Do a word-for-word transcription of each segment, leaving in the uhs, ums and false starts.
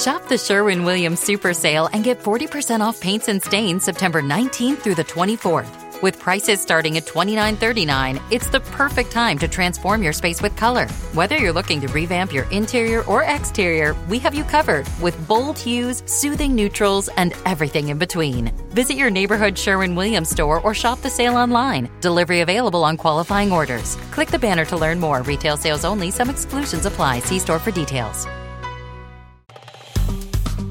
Shop the Sherwin-Williams Super Sale and get forty percent off paints and stains September nineteenth through the twenty-fourth. With prices starting at twenty-nine thirty-nine, it's the perfect time to transform your space with color. Whether you're looking to revamp your interior or exterior, we have you covered with bold hues, soothing neutrals, and everything in between. Visit your neighborhood Sherwin-Williams store or shop the sale online. Delivery available on qualifying orders. Click the banner to learn more. Retail sales only. Some exclusions apply. See store for details.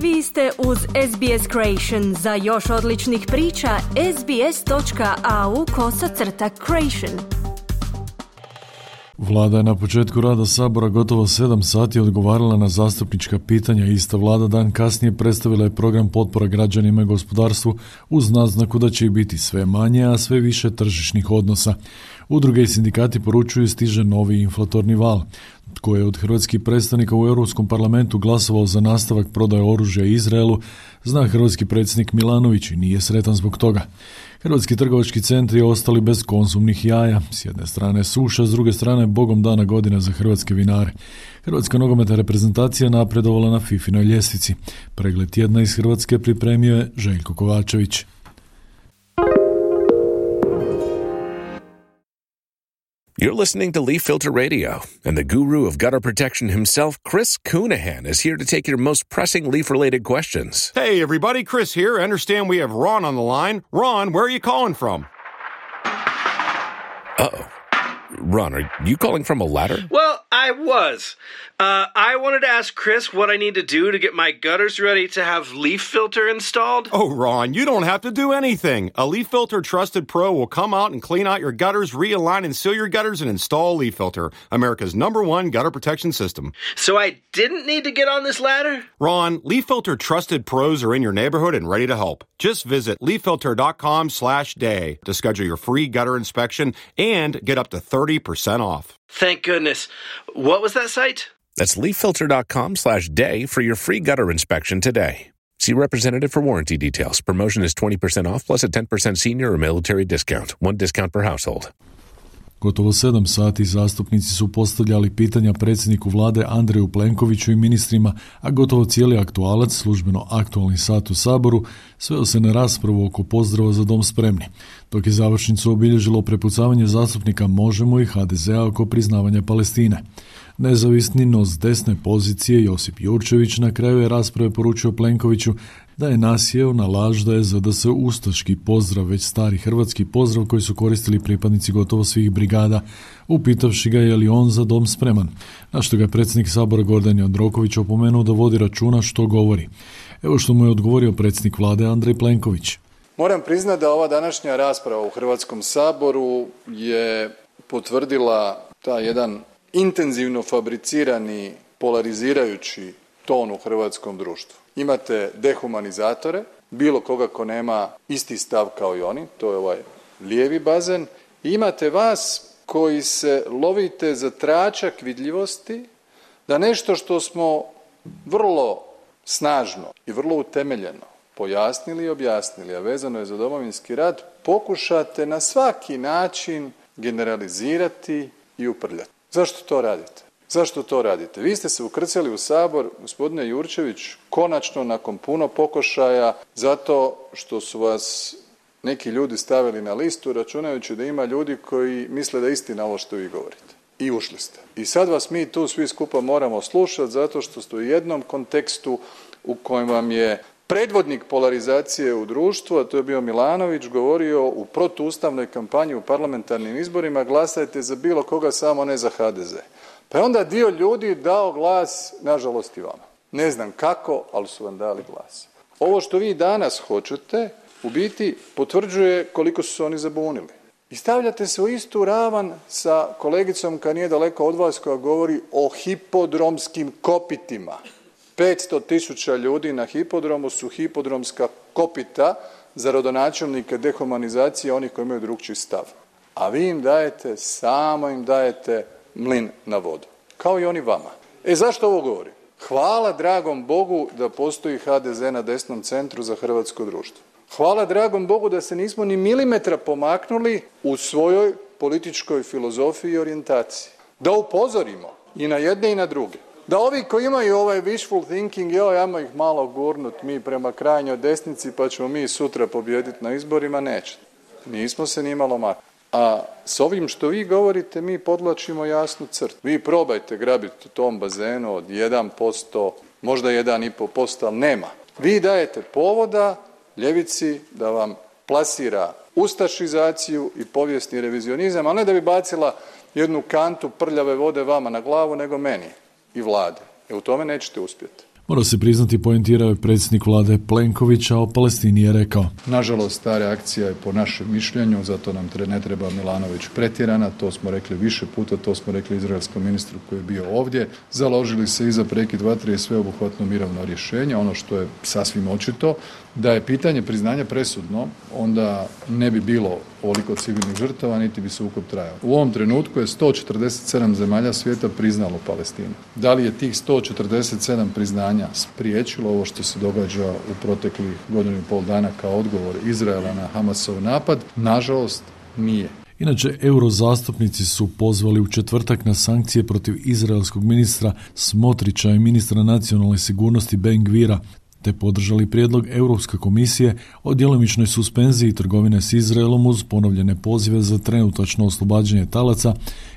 Vi ste uz S B S Creation. Za još odličnih priča, sbs.au kosacrta creation. Vlada je na početku rada Sabora gotovo sedam sati odgovarala na zastupnička pitanja. Ista vlada dan kasnije predstavila je program potpora građanima i gospodarstvu uz naznaku da će ih biti sve manje, a sve više tržišnih odnosa. Udruge i sindikati poručuju stiže novi inflatorni val. Tko je od hrvatskih predstavnika u Europskom parlamentu glasovao za nastavak prodaje oružja Izraelu, zna hrvatski predsjednik Milanović i nije sretan zbog toga. Hrvatski trgovački centri ostali bez konzumnih jaja. S jedne strane suša, s druge strane bogom dana godina za hrvatske vinare. Hrvatska nogometna reprezentacija napredovala na fifinoj ljestvici. Pregled tjedna iz Hrvatske pripremio je Željko Kovačević. You're listening to Leaf Filter Radio, and the guru of gutter protection himself, Chris Coonahan, is here to take your most pressing leaf-related questions. Hey, everybody, Chris here. I understand we have Ron on the line. Ron, where are you calling from? Uh-oh. Ron, are you calling from a ladder? Well, I was. Uh, I wanted to ask Chris what I need to do to get my gutters ready to have Leaf Filter installed. Oh, Ron, you don't have to do anything. A Leaf Filter Trusted Pro will come out and clean out your gutters, realign and seal your gutters, and install Leaf Filter, America's number one gutter protection system. So I didn't need to get on this ladder? Ron, Leaf Filter Trusted Pros are in your neighborhood and ready to help. Just visit leaffilter.com slash day to schedule your free gutter inspection and get up to thirty percent off. Thank goodness. What was that site? That's leaffilter.com slash day for your free gutter inspection today. See representative for warranty details. Promotion is twenty percent off plus a ten percent senior or military discount. One discount per household. Gotovo sedam sati zastupnici su postavljali pitanja predsjedniku vlade Andreju Plenkoviću i ministrima, a gotovo cijeli aktualac, službeno aktualni sat u Saboru, sveo se na raspravu oko pozdrava za dom spremni, dok je završnicu obilježilo prepucavanje zastupnika Možemo i ha de zea oko priznavanja Palestine. Nezavisni, no s desne pozicije Josip Jurčević na kraju je rasprave poručio Plenkoviću da je nasjeo na laž da je za da se ustaški pozdrav već stari hrvatski pozdrav koji su koristili pripadnici gotovo svih brigada, upitavši ga je li on za dom spreman, na što ga je predsjednik Sabora Gordan Jandroković opomenuo da vodi računa što govori. Evo što mu je odgovorio predsjednik vlade Andrej Plenković. Moram priznati da ova današnja rasprava u Hrvatskom saboru je potvrdila taj jedan intenzivno fabricirani, polarizirajući ton u hrvatskom društvu. Imate dehumanizatore, bilo koga ko nema isti stav kao i oni, to je ovaj lijevi bazen, i imate vas koji se lovite za tračak vidljivosti da nešto što smo vrlo snažno i vrlo utemeljeno pojasnili i objasnili, a vezano je za Domovinski rat, pokušate na svaki način generalizirati i uprljati. Zašto to radite? Zašto to radite? Vi ste se ukrcali u Sabor, gospodine Jurčević, konačno nakon puno pokušaja, zato što su vas neki ljudi stavili na listu, računajući da ima ljudi koji misle da je istina ovo što vi govorite. I ušli ste. I sad vas mi tu svi skupa moramo slušati, zato što ste u jednom kontekstu u kojem vam je predvodnik polarizacije u društvu, a to je bio Milanović, govorio u protuustavnoj kampanji u parlamentarnim izborima: glasajte za bilo koga, samo ne za ha de ze. Pa je onda dio ljudi dao glas, nažalost i vama. Ne znam kako, ali su vam dali glas. Ovo što vi danas hoćete, u biti potvrđuje koliko su se oni zabunili. I stavljate se u istu ravan sa kolegicom koja nije daleko od vas, koja govori o hipodromskim kopitima. petsto tisuća ljudi na hipodromu su hipodromska kopita za rodonačelnike dehumanizacije onih koji imaju drukčiji stav. A vi im dajete, samo im dajete mlin na vodu. Kao i oni vama. E zašto ovo govorim? Hvala dragom Bogu da postoji ha de ze na desnom centru za hrvatsko društvo. Hvala dragom Bogu da se nismo ni milimetra pomaknuli u svojoj političkoj filozofiji i orijentaciji. Da upozorimo i na jedne i na druge da ovi koji imaju ovaj wishful thinking, joj, ajmo ih malo gurnut mi prema krajnjoj desnici pa ćemo mi sutra pobijediti na izborima, neće. Nismo se ni malo makli. A s ovim što vi govorite mi podlačimo jasnu crtu. Vi probajte grabiti u tom bazenu od jedan posto, možda jedan i pol posto, ali nema. Vi dajete povoda ljevici da vam plasira ustašizaciju i povijesni revizionizam, ali ne da bi bacila jednu kantu prljave vode vama na glavu, nego meni i vlade. E u tome nećete uspjeti. Mora se priznati, poentirao je predsjednik vlade Plenković, a o Palestini je rekao: nažalost, ta reakcija je po našem mišljenju, zato nam ne treba Milanović pretjerana, to smo rekli više puta, to smo rekli izraelskom ministru koji je bio ovdje. Založili se i za prekid vatre i sveobuhvatno mirovno rješenje. Ono što je sasvim očito, da je pitanje priznanja presudno, onda ne bi bilo ovoliko civilnih žrtava, niti bi sukob trajao. U ovom trenutku je sto četrdeset sedam zemalja svijeta priznalo Palestinu. Da li je tih sto četrdeset sedam priznanja spriječilo ovo što se događa u proteklih godinu i pol dana kao odgovor Izraela na Hamasov napad? Nažalost, nije. Inače, eurozastupnici su pozvali u četvrtak na sankcije protiv izraelskog ministra Smotrića i ministra nacionalne sigurnosti Ben-Gvira, te podržali prijedlog Europske komisije o djelomičnoj suspenziji trgovine s Izraelom uz ponovljene pozive za trenutačno oslobađanje talaca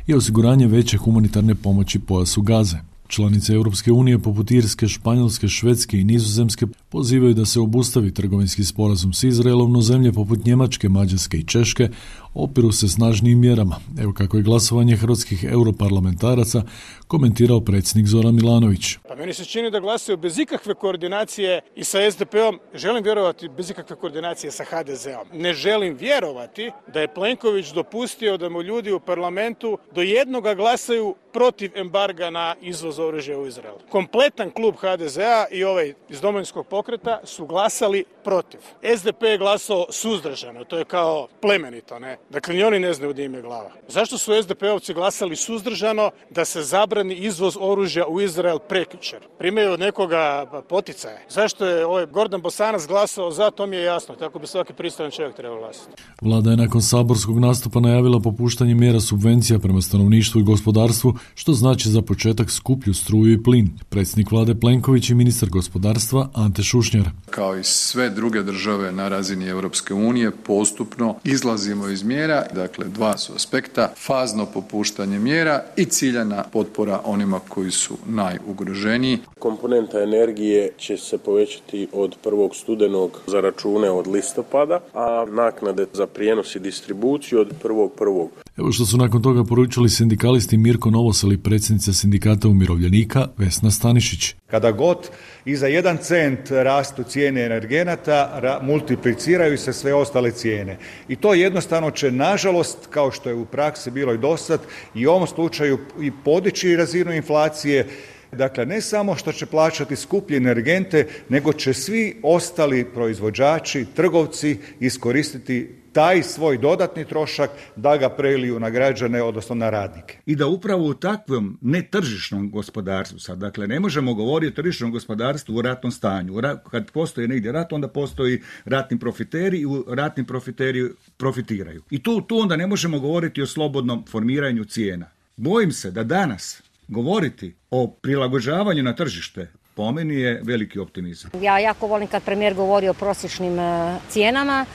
i osiguranje veće humanitarne pomoći pojasu Gaze. Članice Europske unije poput Irske, Španjolske, Švedske i Nizozemske pozivaju da se obustavi trgovinski sporazum s Izraelom, no zemlje poput Njemačke, Mađarske i Češke opiru se snažnijim mjerama. Evo kako je glasovanje hrvatskih europarlamentaraca komentirao predsjednik Zoran Milanović. Pa meni se čini da glasaju bez ikakve koordinacije i sa es de pe-om, želim vjerovati bez ikakve koordinacije sa ha de ze-om. Ne želim vjerovati da je Plenković dopustio da mu ljudi u parlamentu do jednoga glasaju protiv embarga na izvoz oružja u Izrael. Kompletan klub ha de ze-a i ovaj iz Domovinskog pokreta su glasali protiv. es de pe je glasao suzdržano, to je kao plemenito, ne? Dakle, ni oni ne znaju gdje im je glava. Zašto su es de pe-ovci glasali suzdržano da se zabrani izvoz oružja u Izrael prekjučer? Primaju od nekoga poticaje. Zašto je ovaj Gordan Bosanac glasao za, to mi je jasno. Tako bi svaki pristojan čovjek trebao glasati. Vlada je nakon saborskog nastupa najavila popuštanje mjera subvencija prema stanovništvu i gospodarstvu, što znači za početak skuplju struju i plin. Predsjednik vlade Plenković i ministar gospodarstva Ante Šušnjar. Kao i sve druge države na razini Europske unije, postupno izlazimo iz mjera. Dakle, dva su aspekta: fazno popuštanje mjera i ciljana potpora onima koji su najugroženiji. Komponenta energije će se povećati od prvog studenog za račune od listopada, a naknade za prijenos i distribuciju od prvog prvog. Evo što su nakon toga poručili sindikalisti Mirko Novosel i predsjednica sindikata umirovljenika Vesna Stanišić. Kada god i za jedan cent rastu cijene energenata, ra- multipliciraju se sve ostale cijene. I to jednostavno će, nažalost, kao što je u praksi bilo i dosad, i u ovom slučaju i podići razinu inflacije. Dakle, ne samo što će plaćati skuplje energente, nego će svi ostali proizvođači, trgovci iskoristiti taj svoj dodatni trošak da ga preliju na građane, odnosno na radnike. I da upravo u takvom netržišnom gospodarstvu, sad, dakle, ne možemo govoriti o tržišnom gospodarstvu u ratnom stanju. Kad postoji negdje rat, onda postoji ratni profiteri i ratni profiteri profitiraju. I tu, tu onda ne možemo govoriti o slobodnom formiranju cijena. Bojim se da danas govoriti o prilagođavanju na tržište po meni je veliki optimizam. Ja jako volim kad premijer govori o prosječnim uh, cijenama,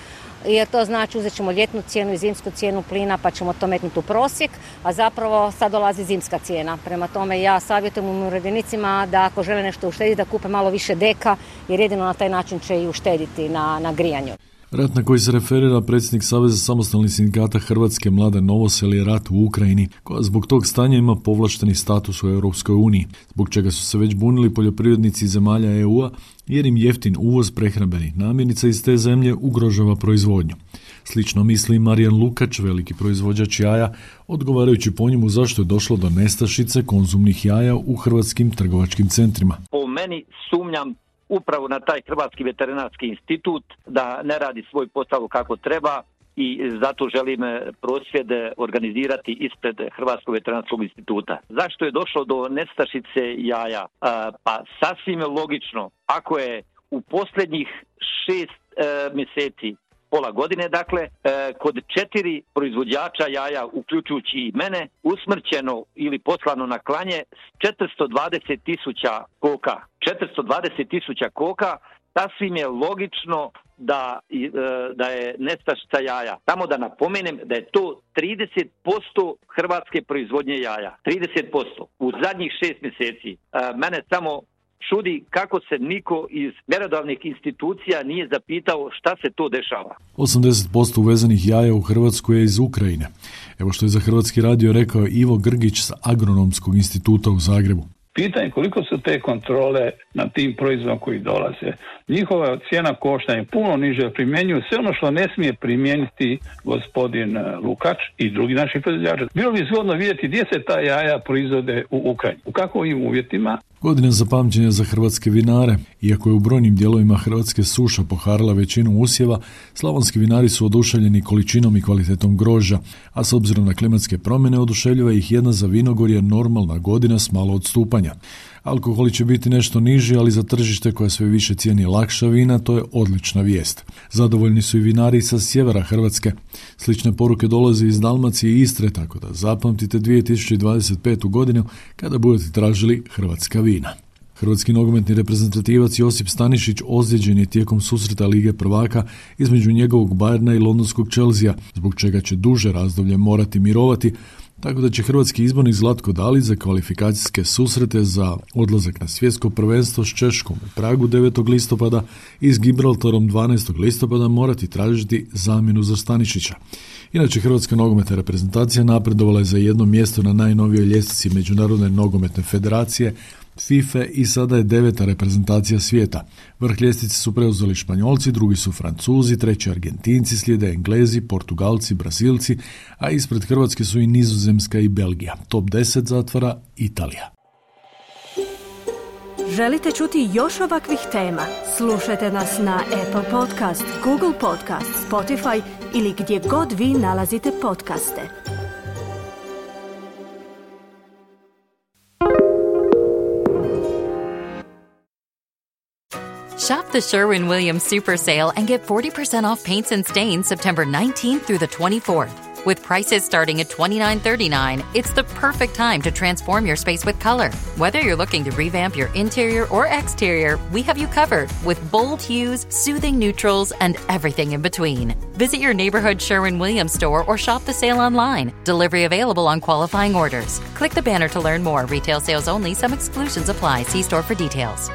jer to znači uzet ćemo ljetnu cijenu i zimsku cijenu plina pa ćemo to metnuti u prosjek, a zapravo sad dolazi zimska cijena. Prema tome ja savjetujem umirovljenicima da ako žele nešto uštediti da kupe malo više deka, jer jedino na taj način će i uštediti na, na grijanju. Rat na koji se referira predsjednik Saveza samostalnih sindikata Hrvatske Mladen Novosel je rat u Ukrajini, koja zbog tog stanja ima povlašteni status u Europskoj uniji, zbog čega su se već bunili poljoprivrednici zemalja e u-a, jer im jeftin uvoz prehrambenih namirnica iz te zemlje ugrožava proizvodnju. Slično misli Marijan Lukač, veliki proizvođač jaja, odgovarajući po njemu zašto je došlo do nestašice konzumnih jaja u hrvatskim trgovačkim centrima. Po meni sumnjam upravo na taj Hrvatski veterinarski institut da ne radi svoj posao kako treba i zato želim prosvjede organizirati ispred Hrvatskog veterinarskog instituta. Zašto je došlo do nestašice jaja? Pa sasvim logično, ako je u posljednjih šest e, mjeseci pola godine, dakle, e, kod četiri proizvođača jaja, uključujući i mene, usmrćeno ili poslano na klanje četiristo dvadeset tisuća koka. četiristo dvadeset tisuća koka, sasvim je logično da, e, da je nestašica jaja. Samo da napomenem da je to trideset posto hrvatske proizvodnje jaja. trideset posto u zadnjih šest mjeseci. E, mene samo čudi kako se niko iz mjerodavnih institucija nije zapitao šta se to dešava. osamdeset posto uvezenih jaja u Hrvatsku je iz Ukrajine. Evo što je za Hrvatski radio rekao Ivo Grgić sa Agronomskog instituta u Zagrebu. Pitanje koliko su te kontrole na tim proizvodima koji dolaze. Njihova cijena koštanja je puno niže, primjenjuju sve ono što ne smije primijeniti gospodin Lukač i drugi naši proizvođači. Bilo bi zgodno vidjeti gdje se ta jaja proizvode u Ukrajini, u kakvim uvjetima. Godine za pamćenje za hrvatske vinare. Iako je u brojnim dijelovima Hrvatske suša poharala većinu usjeva, slavonski vinari su oduševljeni količinom i kvalitetom grožđa, a s obzirom na klimatske promjene oduševljava ih jedna za vinogorje normalna godina s malo odstupanja. Alkoholi će biti nešto niži, ali za tržište koje sve više cijeni lakša vina, to je odlična vijest. Zadovoljni su i vinari sa sjevera Hrvatske. Slične poruke dolaze iz Dalmacije i Istre, tako da zapamtite dvije tisuće dvadeset petu godinu kada budete tražili hrvatska vina. Hrvatski nogometni reprezentativac Josip Stanišić ozlijeđen je tijekom susreta Lige prvaka između njegovog Bayerna i londonskog Chelsea, zbog čega će duže razdoblje morati mirovati, tako da će hrvatski izbornik Zlatko Dalić za kvalifikacijske susrete za odlazak na svjetsko prvenstvo s Češkom u Pragu devetog listopada i s Gibraltarom dvanaestog listopada morati tražiti zamjenu za Stanišića. Inače, hrvatska nogometna reprezentacija napredovala je za jedno mjesto na najnovijoj ljestvici Međunarodne nogometne federacije FIFA i sada je deveta reprezentacija svijeta. Vrh ljestvice su preuzeli Španjolci, drugi su Francuzi, treći Argentinci, slijede Englezi, Portugalci, Brazilci, a ispred Hrvatske su i Nizozemska i Belgija. Top deset zatvara Italija. Želite čuti još ovakvih tema? Slušajte nas na Apple Podcast, Google Podcast, Spotify ili gdje god vi nalazite podcaste. Shop the Sherwin-Williams Super Sale and get forty percent off paints and stains September nineteenth through the twenty-fourth. With prices starting at twenty-nine thirty-nine, it's the perfect time to transform your space with color. Whether you're looking to revamp your interior or exterior, we have you covered with bold hues, soothing neutrals, and everything in between. Visit your neighborhood Sherwin-Williams store or shop the sale online. Delivery available on qualifying orders. Click the banner to learn more. Retail sales only. Some exclusions apply. See store for details.